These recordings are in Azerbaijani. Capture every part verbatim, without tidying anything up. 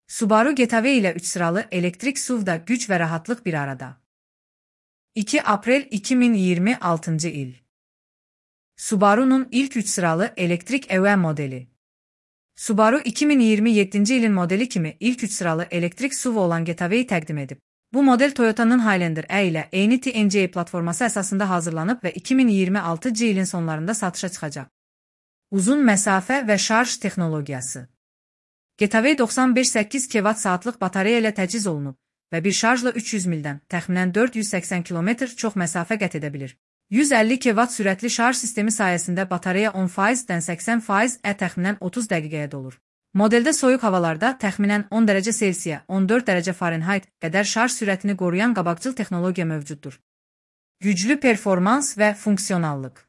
Subaru Getaway ile üç sıralı elektrik S U V'da güç ve rahatlık bir arada. iki April iki bin yirmi altı il. Subaru'nun ilk üç sıralı elektrik E V modeli. Subaru iki bin yirmi yedinci ilin modeli kimi ilk üç sıralı elektrik S U V olan Getaway'i təqdim edib. Bu model Toyota'nın Highlander E ile eyni T N C platforması əsasında hazırlanıb və iki min iyirmi altıncı ilin sonlarında satışa çıxacaq. Uzun məsafə və şarj texnologiyası. Getaway doxsan beş səkkiz kilowatt saatlıq batareya ilə təchiz olunub və bir şarjla üç yüz mildən, təxminən dörd yüz səksən kilometr çox məsafə qət edə bilir. yüz əlli kilowatt sürətli şarj sistemi sayəsində batareya on faizdən səksən faiz ə təxminən otuz dəqiqəyə dolur. Modeldə soyuq havalarda təxminən on dərəcə Selsiya, on dörd dərəcə Fahrenheit qədər şarj sürətini qoruyan qabaqcıl texnologiya mövcuddur. Güclü performans və funksionallıq.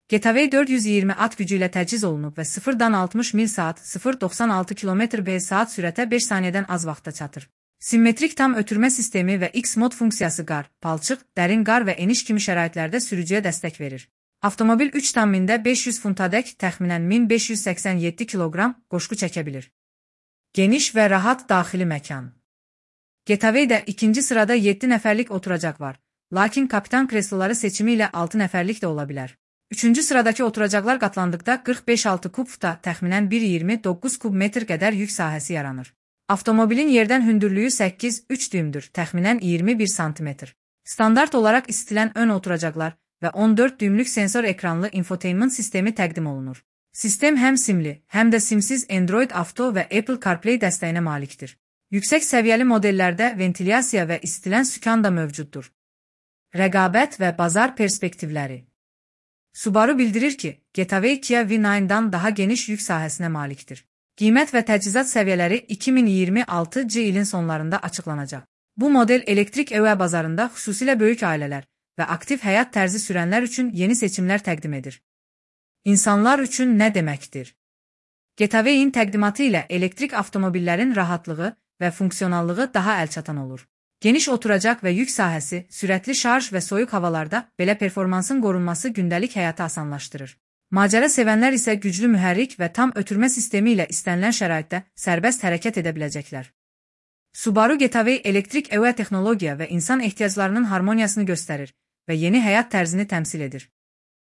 Getaway dörd yüz iyirmi at gücü ilə təchiz olunub və sıfırdan altmış mil saat (sıfır doxsan altı kilometr per saat) sürətə beş saniyədən az vaxtda çatır. Simmetrik tam ötürmə sistemi və X-mod funksiyası qar, palçıq, dərin qar və eniş kimi şəraitlərdə sürücüyə dəstək verir. Avtomobil üç tam mində beş yüz funtadək təxminən min beş yüz səksən yeddi kiloqram qoşqu çəkə bilir. Geniş və rahat daxili məkan. Getaway'də ikinci sırada yeddi nəfərlik oturacaq var, lakin kapitan kresloları seçimi ilə altı nəfərlik də ola bilər. Üçüncü sıradakı oturacaqlar qatlandıqda qırx beş altı kubda təxminən bir iyirmi doqquz kub metr qədər yük sahəsi yaranır. Avtomobilin yerdən hündürlüyü səkkiz üç düymdür, təxminən iyirmi bir santimetr. Standart olaraq istilən ön oturacaqlar və on dörd düymlük sensor ekranlı infotainment sistemi təqdim olunur. Sistem həm simli, həm də simsiz Android Auto və Apple CarPlay dəstəyinə malikdir. Yüksək səviyyəli modellərdə ventilyasiya və istilən sükan da mövcuddur. Rəqabət və bazar perspektivləri. Subaru bildirir ki, Getaway Kia V doxsan daha geniş yük sahəsinə malikdir. Qiymət və təchizat səviyyələri iki min iyirmi altıncı ilin sonlarında açıqlanacaq. Bu model elektrik E V bazarında xüsusilə böyük ailələr və aktiv həyat tərzi sürənlər üçün yeni seçimlər təqdim edir. İnsanlar üçün nə deməkdir? Getaway'in təqdimatı ilə elektrik avtomobillərin rahatlığı və funksionallığı daha əlçatan olur. Geniş oturacaq və yük sahəsi, sürətli şarj və soyuq havalarda belə performansın qorunması gündəlik həyatı asanlaşdırır. Macəra sevənlər isə güclü mühərrik və tam ötürmə sistemi ilə istənilən şəraitdə sərbəst hərəkət edə biləcəklər. Subaru Getaway elektrik E V texnologiya və insan ehtiyaclarının harmoniyasını göstərir və yeni həyat tərzini təmsil edir.